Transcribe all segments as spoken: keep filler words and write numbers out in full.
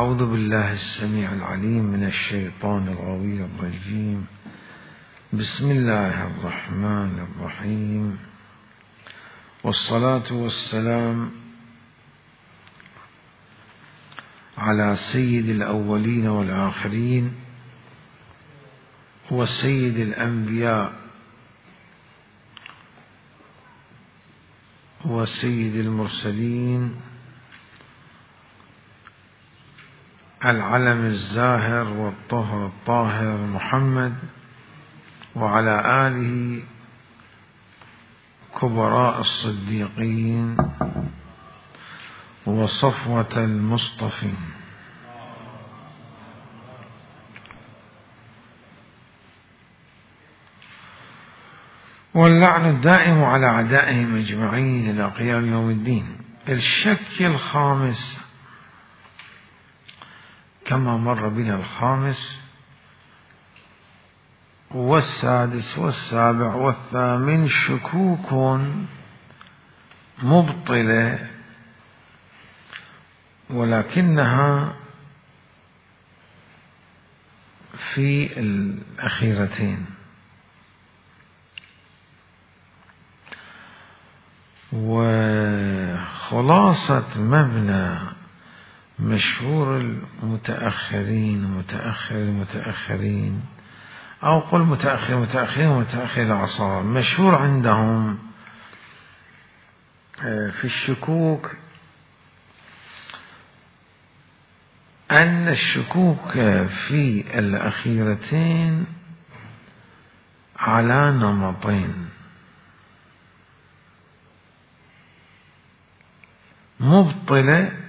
أعوذ بالله السميع العليم من الشيطان الغوي الرجيم. بسم الله الرحمن الرحيم، والصلاة والسلام على سيد الأولين والآخرين وسيد الأنبياء وسيد المرسلين، العلم الزاهر والطهر الطاهر محمد، وعلى آله كبراء الصديقين وصفوة المصطفين. واللعن الدائم على أعدائهم أجمعين إلى قيام يوم الدين. الشك الخامس كما مر بنا الخامس والسادس والسابع والثامن شكوك مبطلة، ولكنها في الأخيرتين. وخلاصة مبنى مشهور المتأخرين متأخر المتأخرين أو قل متأخر متأخرين ومتأخر الأعصار، مشهور عندهم في الشكوك أن الشكوك في الأخيرتين على نمطين: مبطلة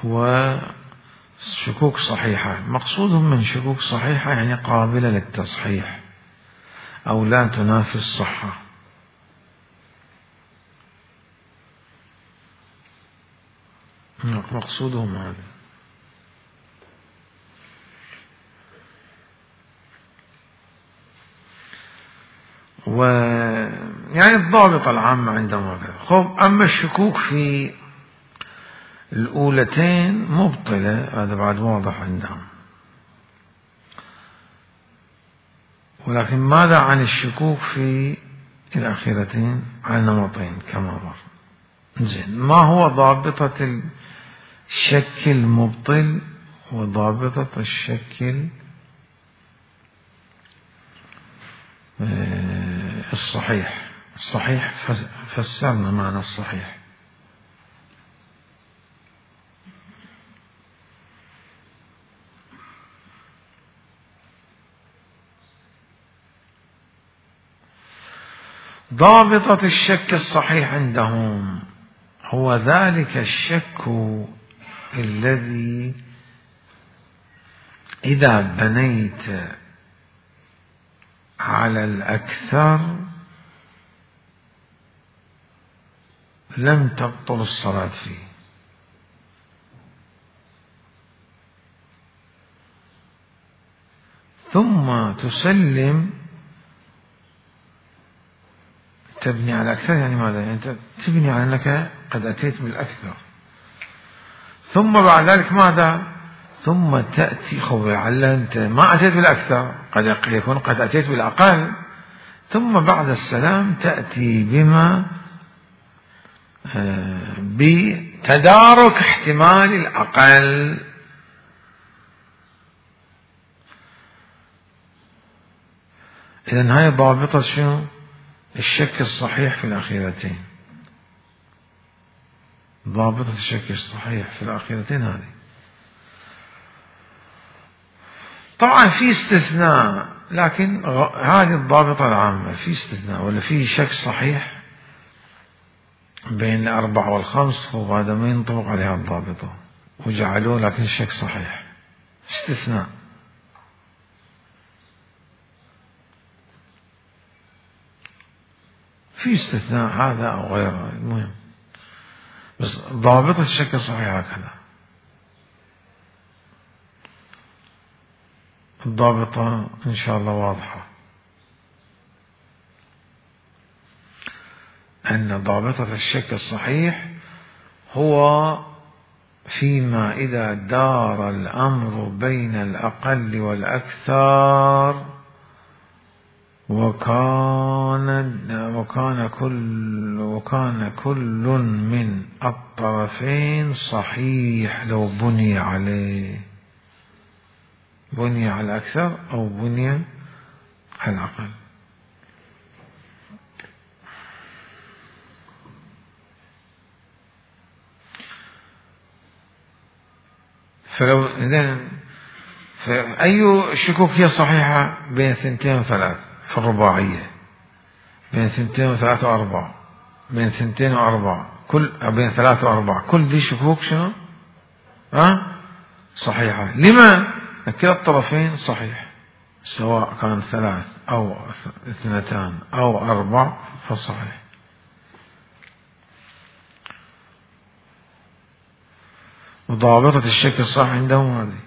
وشكوك صحيحة. مقصودهم من شكوك صحيحة يعني قابلة للتصحيح أو لا تنافي الصحة. مقصودهم هذا. و يعني الضابط العام عندهم هكذا. خب أما الشكوك في الأولتين مبطلة، هذا بعد واضح عندهم. ولكن ماذا عن الشكوك في الأخيرتين على نمطين كما مر؟ زين، ما هو ضابطة الشك المبطل وضابطة الشك الصحيح؟ الصحيح فسرنا معنى الصحيح. ضابطة الشك الصحيح عندهم هو ذلك الشك الذي إذا بنيت على الأكثر لم تبطل الصلاة فيه. ثم تسلم، تبني على الأكثر يعني ماذا؟ يعني أنت تبني على أنك قد أتيت بالأكثر، ثم بعد ذلك ماذا؟ ثم تأتي خب لعل أنت ما أتيت بالأكثر، قد يكون قد أتيت بالأقل، ثم بعد السلام تأتي بما بتدارك احتمال الأقل. إذن هاي ضابطة شنو؟ الشك الصحيح في الأخيرتين. ضابطة الشك الصحيح في الأخيرتين هذه. طبعا في استثناء، لكن هذه الضابطة العامة. في استثناء ولا في شك صحيح بين الأربع والخمس، وهذا ما ينطبق عليها الضابطة وجعلوه لكن الشك صحيح. استثناء. في استثناء هذا أو غيره، المهم بس ضابطة الشك الصحيح هكذا. الضابطة إن شاء الله واضحة، أن ضابطة الشك الصحيح هو فيما إذا دار الأمر بين الأقل والأكثر وكان وكان كل وكان كل من الطرفين صحيح لو بني عليه، بني على الأكثر أو بني على الأقل. فلو إذن فأي شكوك هي صحيحة بين ثنتين وثلاث في الرباعية، بين ثنتين وثلاث وأربع، بين ثنتين وأربع، كل بين ثلاث وأربع، كل دي شكوك شنو؟ ها؟ صحيحة. لما؟ كلا الطرفين صحيح، سواء كان ثلاث أو اثنتان أو أربع فصحيح. وضابطة الشك الصح عندهم هذه.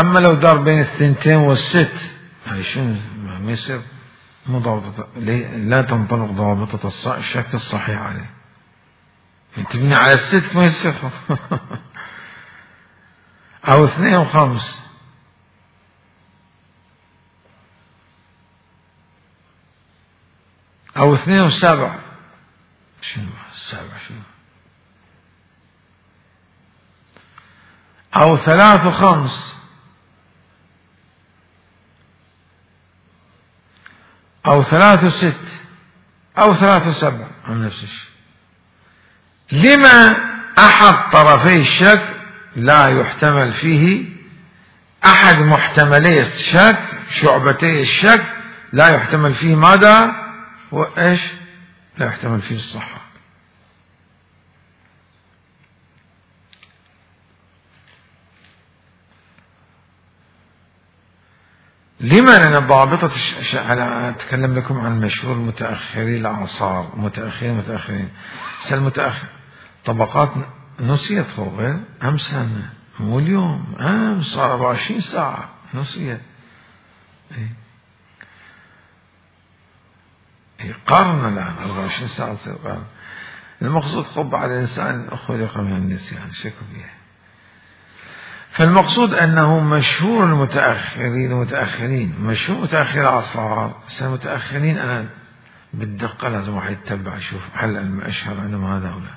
أما لو دار بين الثنتين والست هاي شنو ما يصير مو ضابطة، لا تنطبق ضابطة الشك الصحيح عليه. تبني على الست ما يصير. أو اثنين وخمس أو اثنين وسبع، شنو السبع شنو؟ أو ثلاث وخمس أو ثلاث وست أو ثلاث وسبع، عن نفس الشيء. لما أحد طرفي الشك لا يحتمل فيه، أحد محتملي الشك شعبتي الشك لا يحتمل فيه ماذا؟ وإيش؟ لا يحتمل فيه الصحة. لما؟ لأن ضابطة الش... أنا أتكلم لكم عن مشهور متأخري الأعصار، متأخرين متأخرين المتأخر طبقات نسيت فوق أمس سنة، مو اليوم، أمس صار أربعة وعشرين ساعة نسيت. إيه؟ هي قرن الآن أربعة وعشرين ساعة تصير قرن. المقصود خب على الإنسان خلق من النسيان شكو فيها. فالمقصود أنه مشهور المتأخرين المتأخرين مشهور متأخر الأعصار. المتأخرين أنا بالدقة لازم واحد يتبع يشوف هل المشهر عندهم هذا أو لا.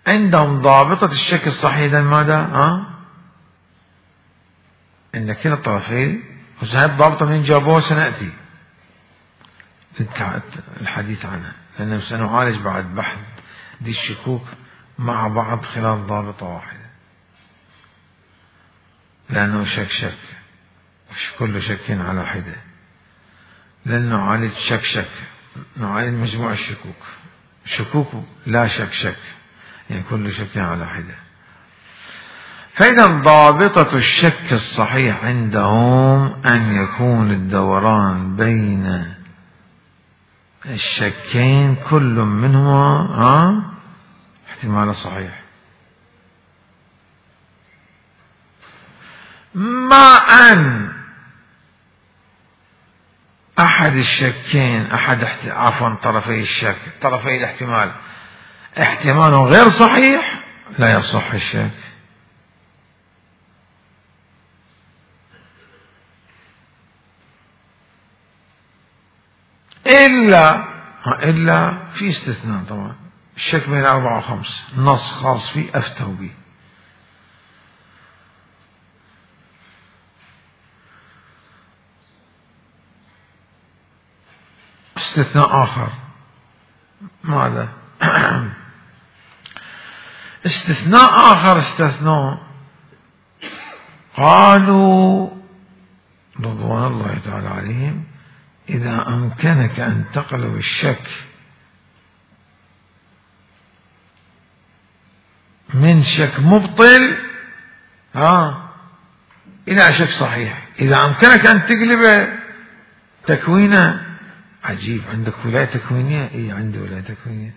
عندهم ضابطة الشك الصحيح ماذا؟ ها؟ إن كلا الطرفين، وهذه الضابطة من جابوها سنأتي الحديث عنها، لأننا سنعالج بعد بحث دي الشكوك مع بعض خلال ضابطة واحدة، لأنه شك شك مش كل شك على حدة، لأن نعالج شك شك، نعالج مجموع الشكوك، شكوك لا شك شك، يعني كل شك على حدة. فإذا ضابطة الشك الصحيح عندهم أن يكون الدوران بين الشكين كل منهما ها احتمال صحيح، مع أن أحد الشكين أحد عفوا طرفي الشك طرفي الاحتمال احتمال غير صحيح لا يصح الشك. إلا إلا في استثناء طبعا، الشك بين أربعة وخمس نص خاص فيه أفتوا به. استثناء آخر ماذا؟ استثناء آخر استثناء قالوا رضوان الله تعالى عليهم إذا أمكنك أن تقلب الشك من شك مبطل ها إلى شك صحيح، إذا أمكنك أن تقلب تكوينه. عجيب، عندك ولاية تكوينية؟ إيه عندي ولاية تكوينية.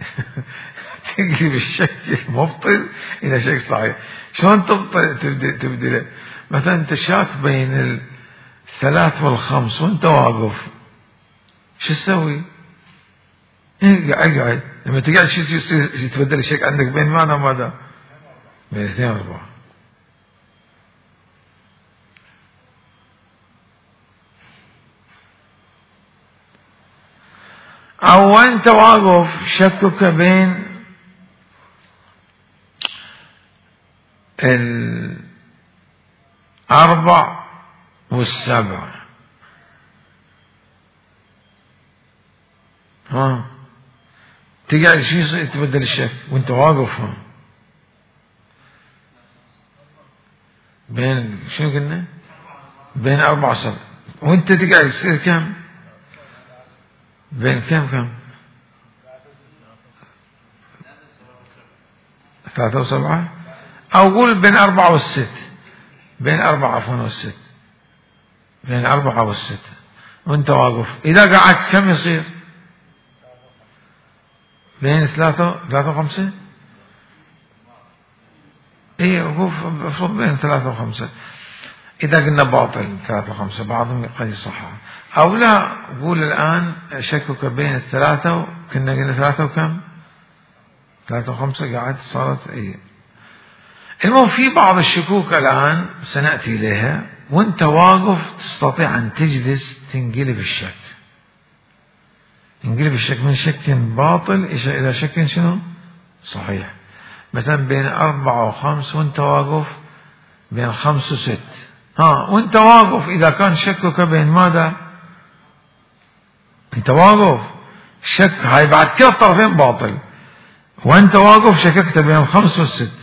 تقلب الشك المبطل إلى شك صحيح. شلون تبطل تبدل تبدله؟ مثلا أنت شاك بين الثلاث والخمس وأنت واقف شو تسوي؟ اقعد لما تقعد شو يصير يتبدل الشك عندك بين ماذا وماذا؟ بين اثنين واربعة. او انت واقف شكك بين الاربع والسبع، ها تقعد شو يصير تبدل الشك وانت واقف؟ ها بين شنو قلنا؟ بين أربعة وسبعة، وانت تقعد يصير كم؟ بين كم كم؟ ثلاثة وسبعة، أو قول بين أربعة والست، بين أربعة عفوا والست، بين أربعة والست وانت واقف. إذا قعدت كم يصير؟ بين ثلاثة ثلاثة وخمسة. ايه وقوف افرض بين ثلاثة وخمسة. إذا قلنا باطل ثلاثة وخمسة بعضهم قد يصحح، أو لا قول الآن شكك بين الثلاثة، كنا قلنا ثلاثة وكم؟ ثلاثة وخمسة قاعد صارت ايه. المهم في بعض الشكوك الآن سنأتي إليها، وانت واقف تستطيع أن تجلس تنقلب الشك، انقلب الشك من شك باطل إلى شك شنو؟ صحيح. مثلا بين أربعة وخمس وانت واقف بين خمس وست، ها وانت واقف إذا كان شكك بين ماذا؟ انت واقف شك هاي بعد كلا الطرفين باطل، وانت واقف شككت بين الخمس والست،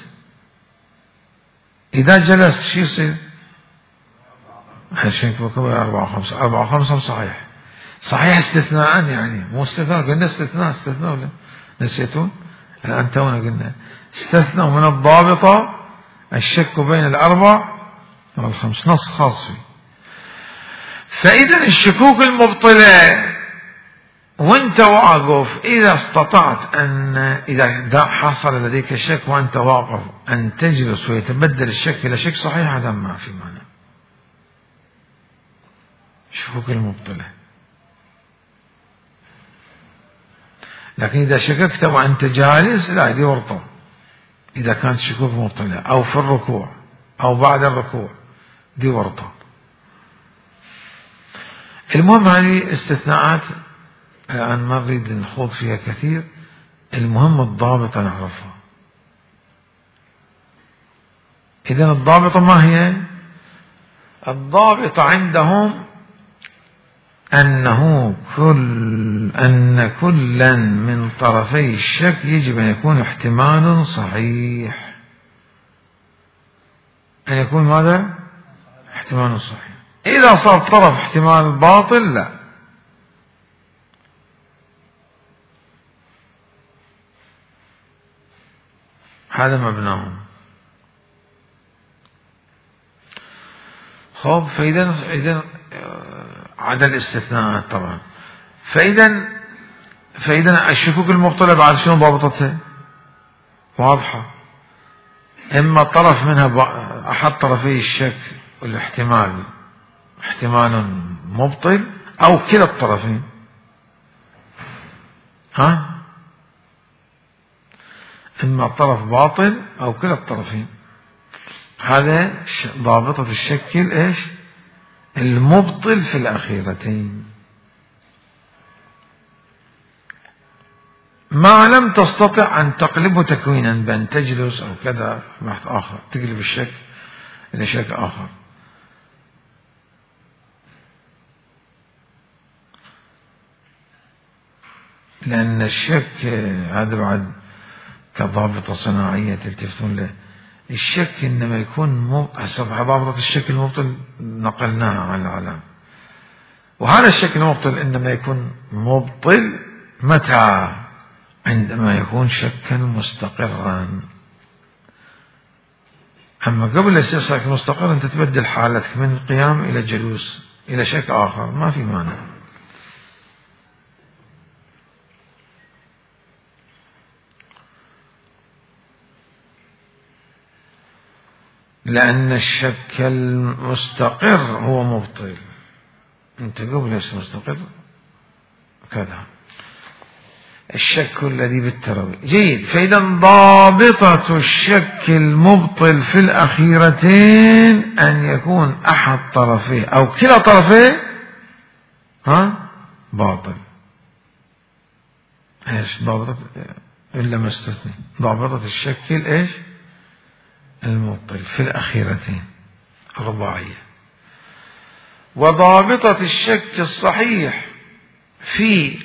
إذا جلست شو يصير؟ شكك بين أربعة وخمسة، أربعة وخمسة صحيح. صحيح استثناء، يعني مو استثناء، قلنا استثناء استثناء ولا نسيتون؟ الآن تونا قلنا استثنوا من الضابطة الشك بين الأربع والخمس، نص خاص فيه. فإذا الشكوك المبطلة وانت واقف، إذا استطعت أن إذا حصل لديك شك وانت واقف أن تجلس ويتبدل الشك إلى شك صحيح، هذا ما في معنى. شكوك المبطلة. لكن إذا شككت وأنت جالس لا، دي ورطة. إذا كانت شكوك مبطلة أو في الركوع أو بعد الركوع دي ورطة. المهم هذه استثناءات الآن ما نريد نخوض فيها كثير، المهم الضابطة نعرفها. إذن الضابطة ما هي؟ الضابطة عندهم أنه كل أن كلا من طرفي الشك يجب أن يكون احتمال صحيح، أن يكون ماذا؟ احتمال صحيح. إذا صار طرف احتمال باطل لا. هذا مبناهم. خب فإذا إذا عدا الاستثناءات طبعا. فإذا فإذا الشكوك المبطلة بعد شنو ضابطتها؟ واضحة. إما طرف منها أحد طرفي الشك والاحتمال احتمال مبطل، أو كلا الطرفين. ها؟ إما طرف باطل أو كلا الطرفين. هذا ضابطة الشك إيش؟ المبطل في الأخيرتين. ما لم تستطع أن تقلبه تكوينا بأن تجلس أو كذا بحث آخر، تقلب الشك إلى شك آخر. لأن الشك هذا بعد كضابطة صناعية تلتفتون له. الشك إنما يكون حسب ضابطة الشك المبطل نقلناها على العلام، وهذا الشك المبطل إنما يكون مبطل متى؟ عندما يكون شكا مستقرا. أما قبل يصير شك مستقر أنت تبدل حالتك من القيام إلى جلوس إلى شك آخر، ما في مانع. لأن الشك المستقر هو مبطل. أنت قبل يصير مستقر كذا الشك الذي بالتروي. جيد. فإذا ضابطة الشك المبطل في الأخيرتين أن يكون أحد طرفيه أو كلا طرفيه ها باطل. ايش ضابطة إلا ما استثني؟ ضابطة الشك ايش المبطل في الأخيرتين رباعية. وضابطة الشك الصحيح في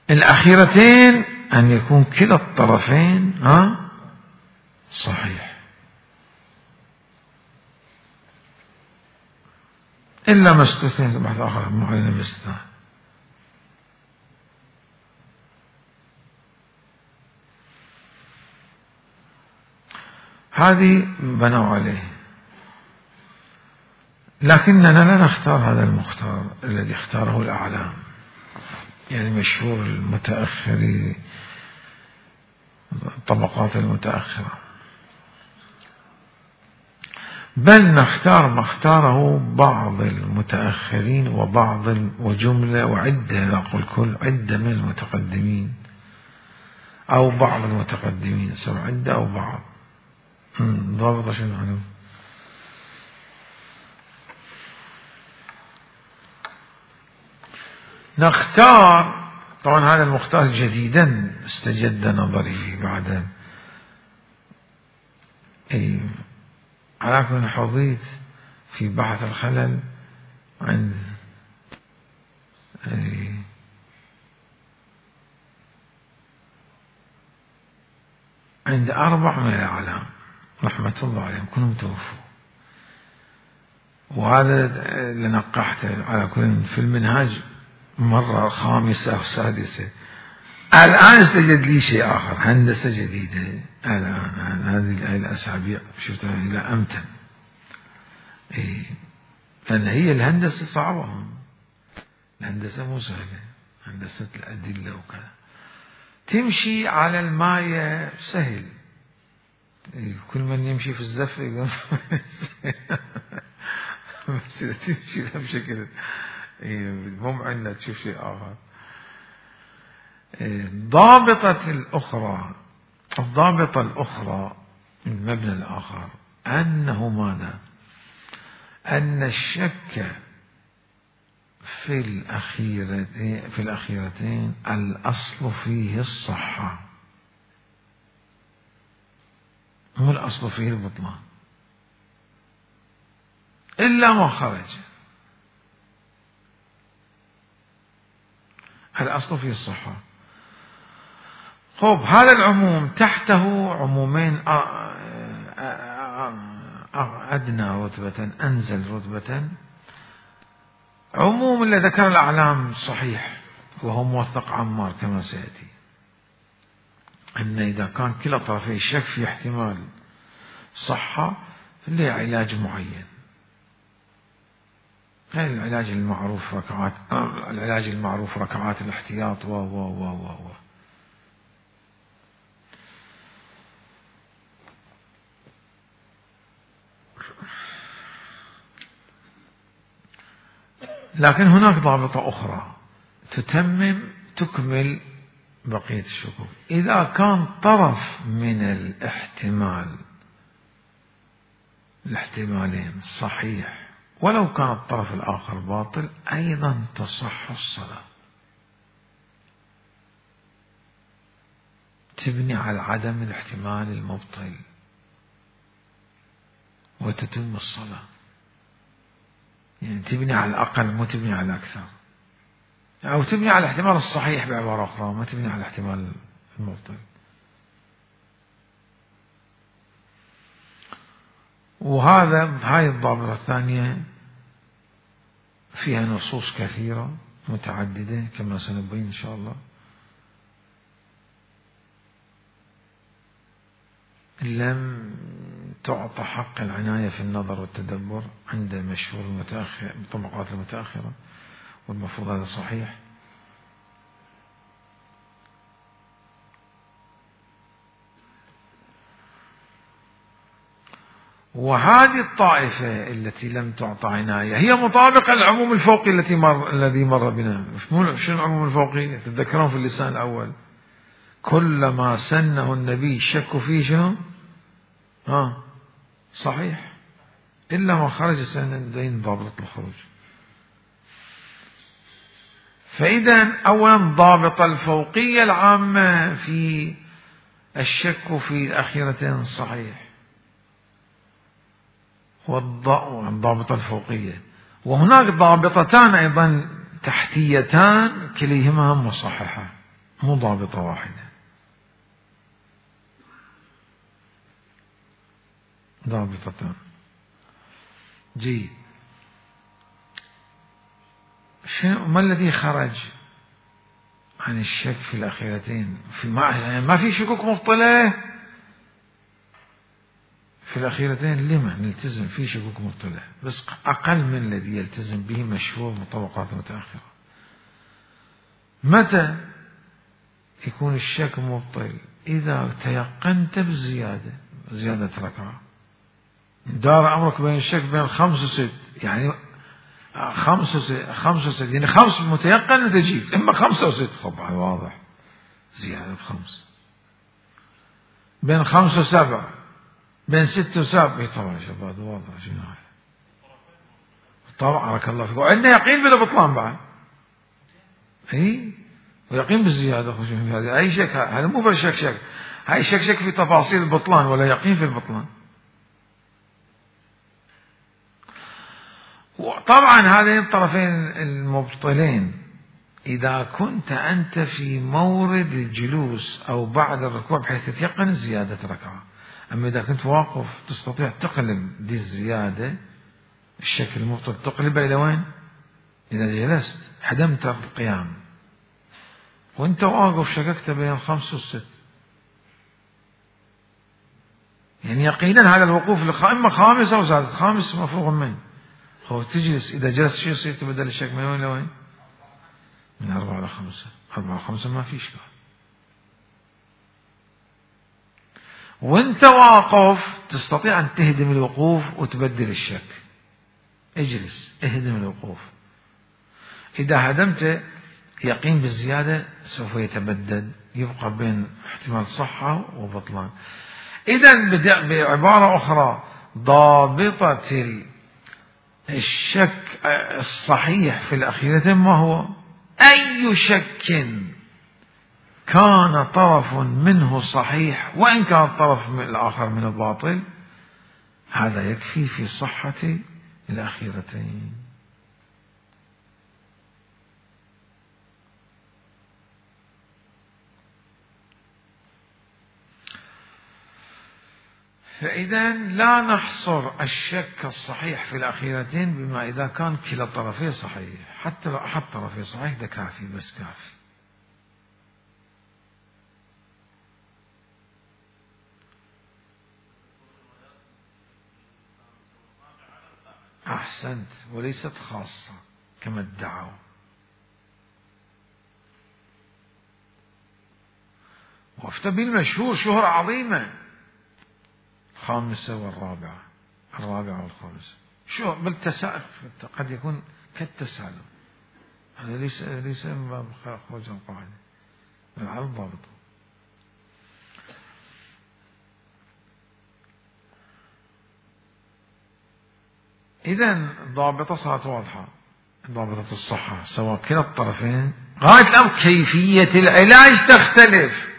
الأخيرتين أن يكون كلا الطرفين ها صحيح إلا ما استثنى بحث آخر معين باستثناء. هذه بنوا عليه، لكننا لا نختار هذا المختار الذي اختاره الأعلام، يعني مشهور المتأخرين الطبقات المتأخرة، بل نختار ما اختاره بعض المتأخرين وبعض وجملة وعدة، لا أقول كل، عدة من المتقدمين أو بعض المتقدمين، سواء عدة أو بعض. ضابطة شنو معلوم؟ نختار طبعا هذا المختار جديدا استجد نظري بعد أي على كل حظيت في بحث الخلل عند أي عند أربع من الأعلام رحمة الله عليهم كلهم توفوا، وهذا اللي نقحته على كل في المنهاج مرة خامسة أو سادسة. الآن استجد لي شيء آخر، هندسة جديدة الآن هذه الأسابيع شفتها إلى أمتن. إيه لأن هي الهندسة صعبة، الهندسة مو سهلة، هندسة الأدلة وكذا. تمشي على الماية سهل، إيه كل من يمشي في الزفة يقول بس إذا تمشي بشكل مو عندنا تشوف شيء آخر. الضابطة الأخرى الضابطة الأخرى المبنى الآخر أنه ماذا؟ أن الشك في الأخيرتين في الأخيرتين الأصل فيه الصحة، مو الأصل فيه البطلان إلا ما خرج. الأصل فيه الصحة. خب هذا العموم تحته عمومين أدنى رتبة أنزل رتبة. عموم اللي ذكر الأعلام صحيح وهو موثق عمار كما سيأتي، أن إذا كان كلا طرفي الشك في احتمال صحة فله علاج معين. هذا العلاج المعروف ركعات العلاج المعروف ركعات الاحتياط و و و و و لكن هناك ضابطة أخرى تتمم تكمل بقية الشكوك. إذا كان طرف من الاحتمال الاحتمالين صحيح ولو كان الطرف الآخر باطل أيضا تصح الصلاة، تبني على عدم الاحتمال المبطل وتتم الصلاة. يعني تبني على الأقل مو تبني على الأكثر، أو تبني على الاحتمال الصحيح بعبارة أخرى، ما تبني على الاحتمال المبطل. وهذا هاي الضابطة الثانية فيها نصوص كثيرة متعددة كما سنبين إن شاء الله، لم تعطى حق العناية في النظر والتدبر عند مشهور المتأخر الطبقات المتأخرة، والمفروض هذا صحيح. وهذه الطائفة التي لم تعطى عناية هي مطابقة للعموم الفوقي التي مر الذي مر بنا. شنو العموم الفوقي؟ تتذكرون في اللسان الأول كلما سنه النبي شك فيه شنو؟ ها صحيح إلا ما خرج سندين ضابط الخروج. فإذا أولا ضابط الفوقية العامة في الشك في الأخيرتين صحيح والضابطة الفوقية، وهناك ضابطتان أيضا تحتيتان كليهما مصححة مو ضابطة واحدة. ضابطتان جيد. شنو ما الذي خرج عن الشك في الأخيرتين؟ في ما, ما في شكوك مبطلة في الأخيرتين. لما نلتزم في شكوك مبطلة بس أقل من الذي يلتزم به مشهور مطبقات متأخرة. متى يكون الشك مبطل؟ إذا تيقنت بالزيادة، زيادة ركعة. دار أمرك بين الشك بين خمس وست، يعني خمس وست خمس وست يعني خمس متيقن تجيب، إما خمسة وست طبعا واضح زيادة خمس، بين خمس وسبع، بين ست وسبع طبعا شباب واضح شنو هذا طبعا. بارك الله فيك. وعندنا يقين بلا بطلان بعد، اي ويقين بالزيادة. هذا أي شك، هذا مو بس شك شك، هاي شك شك في تفاصيل البطلان ولا يقين في البطلان. وطبعا هذين الطرفين المبطلين إذا كنت أنت في مورد الجلوس أو بعد الركوع بحيث تتيقن زيادة ركعة. أما إذا كنت واقف تستطيع تقلب دي الزيادة الشكل المبطل تقلبه إلى وين؟ إذا جلست حدمت القيام وأنت واقف شككت بين الخمس والست، يعني يقينا هذا الوقوف إما خامس أو زادت، خامس مفروغ منه. هو تجلس إذا جلست شو يصير؟ تبدل الشك من وين لوين؟ من أربعة إلى خمسة. أربعة خمسة ما في إشكال. وأنت واقف تستطيع أن تهدم الوقوف وتبدل الشك. اجلس اهدم الوقوف. إذا هدمت يقين بالزيادة سوف يتبدد، يبقى بين احتمال صحة وبطلان. إذن بعبارة أخرى ضابطة الشك الصحيح في الأخيرة ما هو؟ أي شك كان طرف منه صحيح وإن كان الطرف الآخر من الباطل هذا يكفي في صحة الأخيرتين. فإذا لا نحصر الشك الصحيح في الأخيرتين بما إذا كان كلا الطرفين صحيح، حتى لو أحد طرفين صحيح ده كافي، بس كافي. أحسنت، وليست خاصة كما ادعوا. وافتى المشهور شهرة عظيمة، الخامسة والرابعة، الرابعة والخامسة، شو بالتساؤل قد يكون كالتسالم، هذا ليس ليس من باب خروج القاعدة على الضابط. إذن ضابطة صارت واضحة، ضابطة الصحة سواء كلا الطرفين. غاية الأمر كيفية العلاج تختلف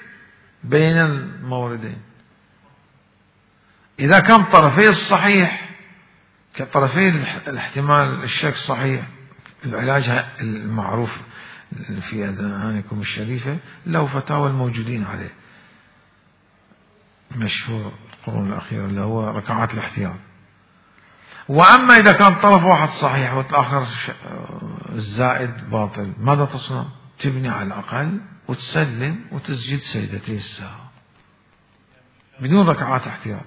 بين الموردين. إذا كان طرفي الصحيح كطرفي الاحتمال الشك صحيح، العلاج المعروف في أذهانكم الشريفة له فتاوى الموجودين عليه مشهور القرون الأخيرة اللي هو ركعات الاحتياط. وأما إذا كان طرف واحد صحيح والآخر الزائد باطل ماذا تصنع؟ تبني على الأقل وتسلم وتسجد سجدتي السهو بدون ركعات احتياط.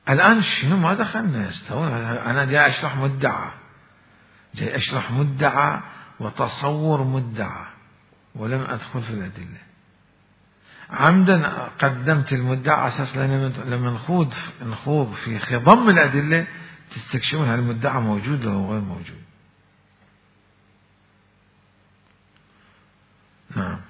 الآن شنو ما دخلنا استوى، أنا جاي أشرح مدعى، جاي أشرح مدعى وتصور مدعى ولم أدخل في الأدلة. عمدا قدمت المدعى على أساس لما نخوض نخوض في خضم الأدلة تستكشفون هل المدعى موجود أو غير موجود. نعم.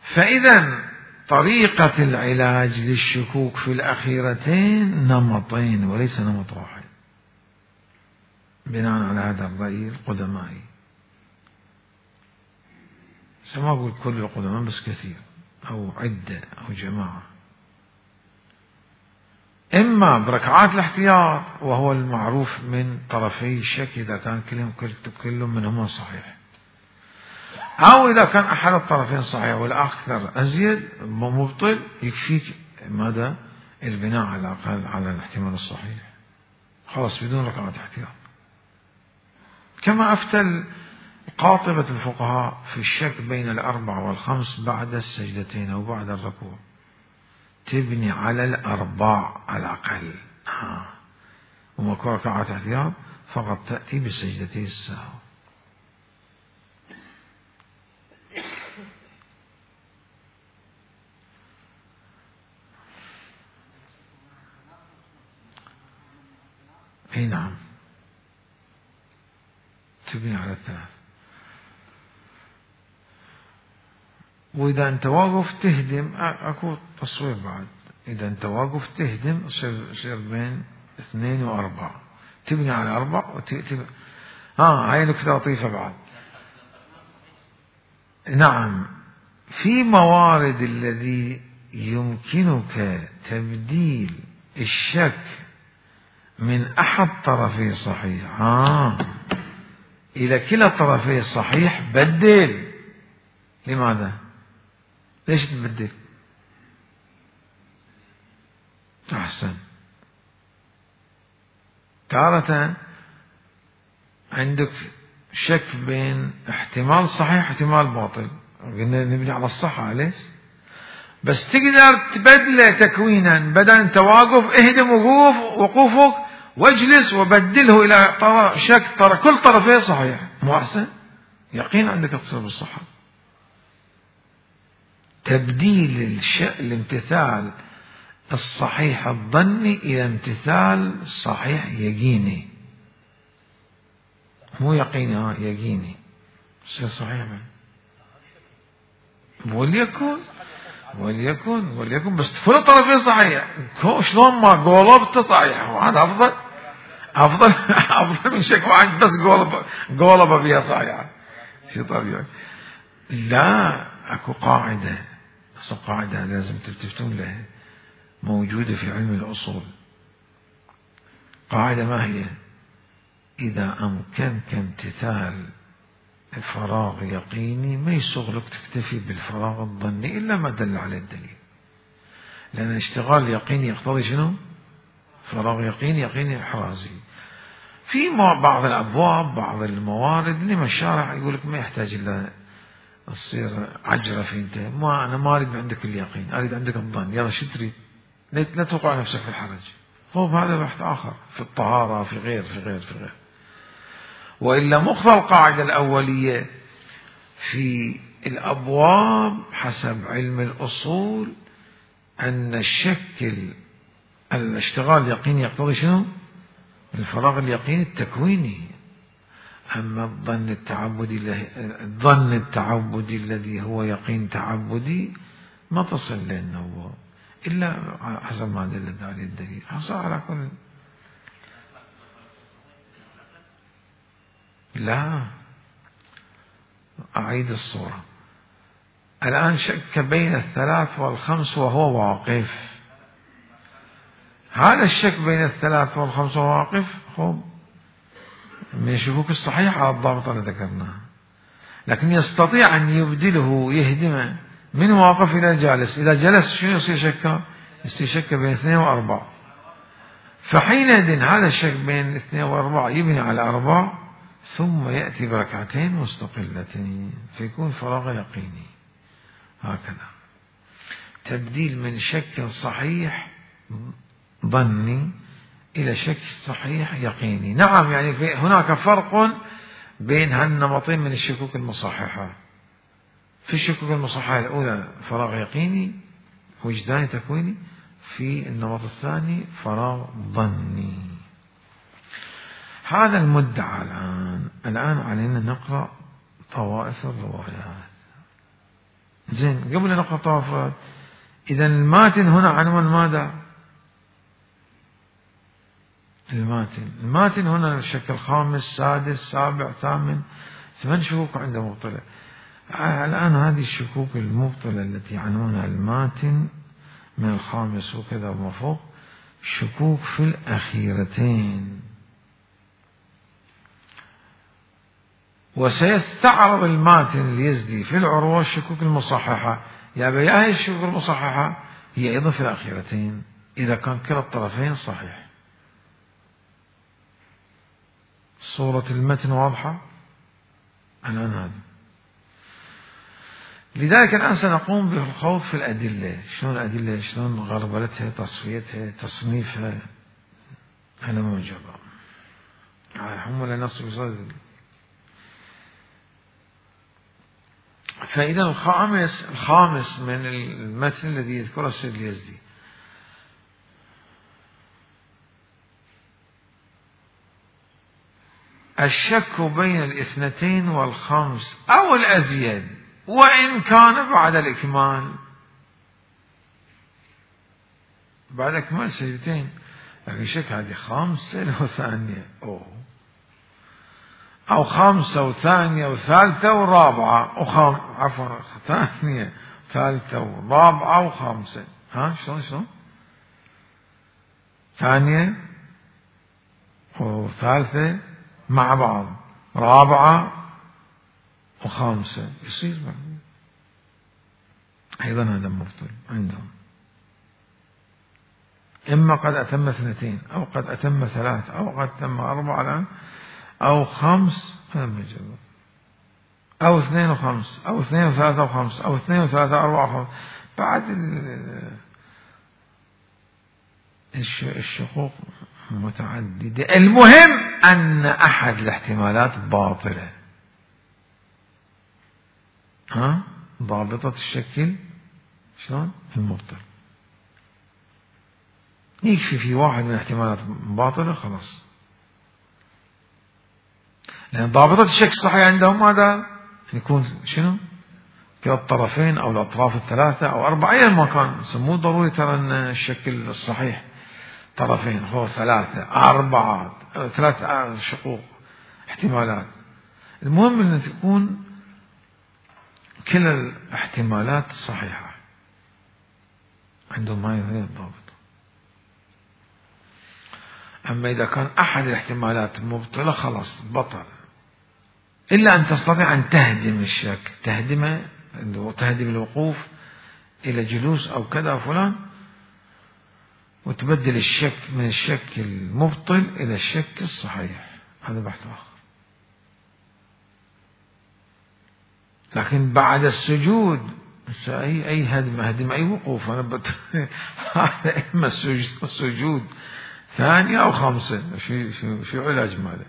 فإذا طريقة العلاج للشكوك في الأخيرتين نمطين وليس نمط واحد، بناء على هذا الرأي القدمائي. ما أقول كل القدماء بس كثير أو عدة أو جماعة. إما بركعات الاحتياط وهو المعروف من طرفي الشك إذا كان كلهم كل منهما صحيح، أو إذا كان أحد الطرفين صحيح والآخر أزيد مبطل، يكفيك ماذا؟ البناء على الأقل على الاحتمال الصحيح، خلاص بدون ركعات احتياط. كما أفتى قاطبة الفقهاء في الشك بين الأربع والخمس بعد السجدتين أو بعد الركوع، تبني على الأربع على الأقل، آه. وما كان ركعات احتياط فقط تأتي بسجدتي السهو. اي نعم، تبني على الثلاث. وإذا أنت واقف تهدم، أكو تصوير بعد، إذا أنت واقف تهدم يصير بين اثنين وأربعة، تبني على أربع وتبني. ها هاي نكتة لطيفة بعد. نعم، في موارد الذي يمكنك تبديل الشك من أحد طرفي صحيح آه. إلى كلا طرفي صحيح بدل. لماذا؟ ليش تبدل؟ أحسن. تارة عندك شك بين احتمال صحيح احتمال باطل، قلنا نبني على الصحة ليش؟ بس تقدر تبدله تكوينا، بدل أنت واقف اهدم وقوف وقوفك واجلس وبدله إلى شك ترى كل طرفين صحيح، مو أحسن؟ يقين عندك تصير بالصحة. تبديل الش... الامتثال الصحيح الظني إلى امتثال صحيح يقيني، مو يقيني ها يقيني، شيء صحيح. وليكن وليكن وليكن بس كل الطرفين صحيح، شلون ما قولبت صحيح، وهذا أفضل أفضل أفضل من شك واحد بس قولب قولب فيها صحيح. شيء طبيعي. لا، أكو قاعدة، بس القاعدة لازم تلتفتون لها، موجودة في علم الأصول. قاعدة ما هي؟ إذا أمكنك امتثال فراغ يقيني ما يسوغ لك تكتفي بالفراغ الظني إلا ما دل على الدليل، لأن اشتغال يقيني يقتضي شنو؟ فراغ يقيني يقيني إحرازي. في بعض الأبواب بعض الموارد لما الشارع يقول لك ما يحتاج إلا تصير عجرة في أنت، ما أنا ما أريد عندك اليقين، أريد عندك الظن، يلا شو تريد؟ لا توقع نفسك في الحرج. هو هذا بحث آخر في الطهارة في غير في غير في غير. وإلا مقتضى القاعدة الأولية في الأبواب حسب علم الأصول أن الشك الاشتغال اليقيني يقتضي شنو؟ الفراغ اليقيني التكويني. أما الظن التعبدي الظن التعبدي الذي هو يقين تعبدي ما تصل لأنه إلا حسب ما دل عليه الدليل. حصل على كل. لا، أعيد الصورة. الآن شك بين الثلاث والخمس وهو واقف. هذا الشك بين الثلاث والخمس وهو واقف خب من الشكوك الصحيحة على الضابطة اللي ذكرناها، لكن يستطيع أن يبدله يهدمه من واقف إلى جالس. إذا جلس شنو يصير شكا؟ يصير شك بين اثنين وأربعة، فحينئذ هذا الشك بين اثنين وأربعة يبني على أربع ثم يأتي بركعتين مستقلتين فيكون فراغ يقيني. هكذا تبديل من شك صحيح ظني إلى شك صحيح يقيني. نعم، يعني في هناك فرق بين هالنمطين من الشكوك المصححة. في الشكوك المصححة الأولى فراغ يقيني وجداني تكويني، في النمط الثاني فراغ ظني. هذا المدعى الآن. الآن علينا نقرأ طوائف الروايات. زين، قبل أن نقرأ طوائف، إذا الماتن هنا عنوان ماذا؟ الماتن. الماتن هنا الشكل خامس سادس سابع ثامن، ثمان شكوك عند مبطلة. الآن هذه الشكوك المبطلة التي عنوانها الماتن من الخامس وكذا وما فوق، شكوك في الأخيرتين. وسيستعرض الماتن اليزدي في العروة الشكوك المصححة. يا بيا هي الشكوك المصححة هي أيضا في الأخيرتين إذا كان كلا الطرفين صحيح. صورة المتن واضحة الآن هذا. لذلك الآن سنقوم بالخوض في الأدلة. شلون الأدلة؟ شلون غربلتها، تصفيتها، تصنيفها، هذا موجب. هم لا نص بصدد. فإذا الخامس الخامس من المتن الذي يذكره السيد اليزدي، الشك بين الاثنتين والخمس أو الأزيد وإن كان بعد الإكمال. بعد إكمال سجدتين، لكن شك هذه خامسة وثانية أوه، أو خامسة وثانية وثالثة ورابعة وخام عفوا ثانية ثالثة ورابعة وخامسة. ها شلون شلون؟ ثانية وثالثة مع بعض، رابعة وخامسة، يصير بعد. أيضا هذا مبطل عندهم. إما قد أتم اثنتين أو قد أتم ثلاث أو قد أتم أربعة الآن، أو خمس أو اثنين وخمس أو اثنين وثلاثة وخمس أو اثنين وثلاثة أربعة وخمس. بعد الشقوق متعددة. المهم أن أحد الاحتمالات باطلة. ها ضابطة الشكل شلون؟ المبطل. يكفي في واحد من الاحتمالات باطلة خلاص. لأن ضابطة الشكل الصحيح عندهم ماذا؟ يكون شنو؟ كلا الطرفين أو الأطراف الثلاثة أو أربعة أيا ما كان. مو ضروري ترى أن الشكل الصحيح طرفين، هو ثلاثة أربعة ثلاث شقوق احتمالات. المهم أن تكون كلا الاحتمالات صحيحة عندهم. هاي هي الضابط. أما إذا كان أحد الاحتمالات مبطلة خلاص بطل، إلا أن تستطيع أن تهدم الشك، تهدمه وتهدم الوقوف إلى جلوس أو كذا فلان، وتبدل الشك من الشك المبطل إلى الشك الصحيح. هذا بحث آخر. لكن بعد السجود أي أي هدم هدم أي وقوف. أنا بت هذا إما السجود ثانية أو خامسة، شو شو شو علاج ماله؟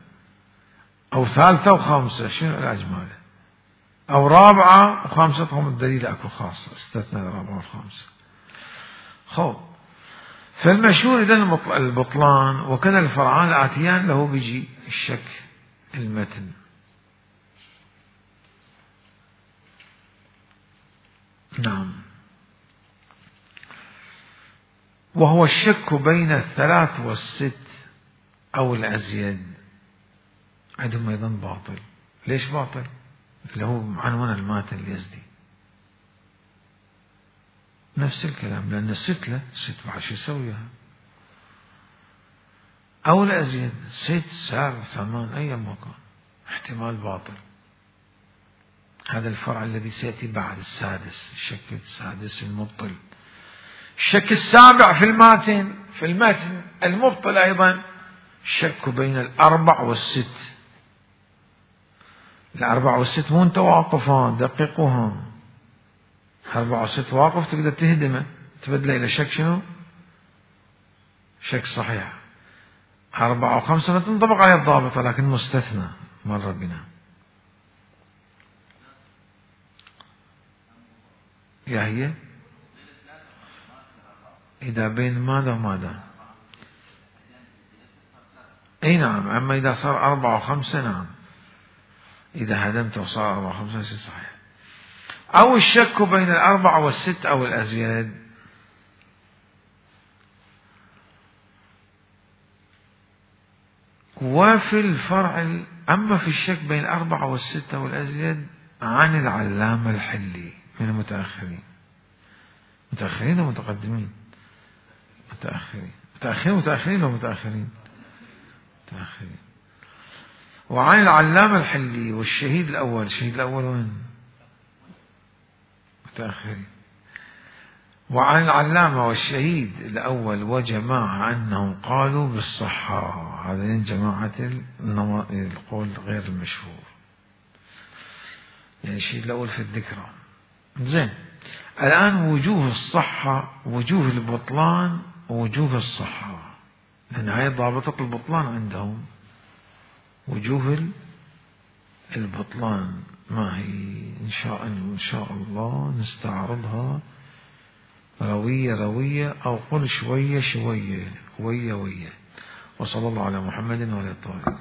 أو ثالثة وخامسة، شنو علاج ماله؟ أو رابعة وخامسة، هم الدليل أكو خاصة استثناء الرابعة والخامسة. خو فالمشهور إذن البطلان، وكذا الفرعان الآتيان له بيجي الشك المتن. نعم. وهو الشك بين الثلاث والست أو الأزيد عندهم أيضا باطل. ليش باطل؟ اللي هو عنوان الماتن اليزدي نفس الكلام، لأن الست له ست بعد شو يسويها، أو الأزيد ست سبع ثمان أي مكان، احتمال باطل. هذا الفرع الذي سيأتي بعد السادس، الشك السادس المبطل. الشك السابع في الماتن في المتن المبطل أيضا الشك بين الأربع والست. الأربع والست مو متواقفان، دققوها. أربع والست واقف تقدر تهدمه تبدله إلى شك شنو؟ شك صحيح. أربعة وخمسة ما تنطبق عليه الضابطة، لكن مستثنى مر بنا. يا هي إذا بين ماذا وماذا؟ أي نعم، أما إذا صار أربعة وخمسة نعم، إذا هدمت وصار أربعة وخمسة يصير صحيح. أو الشك بين الأربعة والست أو الأزيد. وفي الفرع، أما في الشك بين الأربعة والستة والأزيد عن العلامة الحلي من المتأخرين. متأخرين أو متقدمين؟ متأخرين. متأخرين متأخرين أو متأخرين؟ متأخرين. وعن العلامة الحلي والشهيد الأول. الشهيد الأول وين؟ متأخرين. وعن العلامة والشهيد الأول وجماعة أنهم قالوا بالصحة. هذين جماعة القول غير المشهور، يعني الشهيد الأول في الذكرى. زين، الآن وجوه الصحة، وجوه البطلان، ووجوه الصحة، لأن هاي ضابطة البطلان عندهم. وجوه البطلان ما هي؟ إن شاء إن شاء الله نستعرضها روية روية، أو قل شوية شوية، وية وية. وصلى الله على محمد وعلى آله.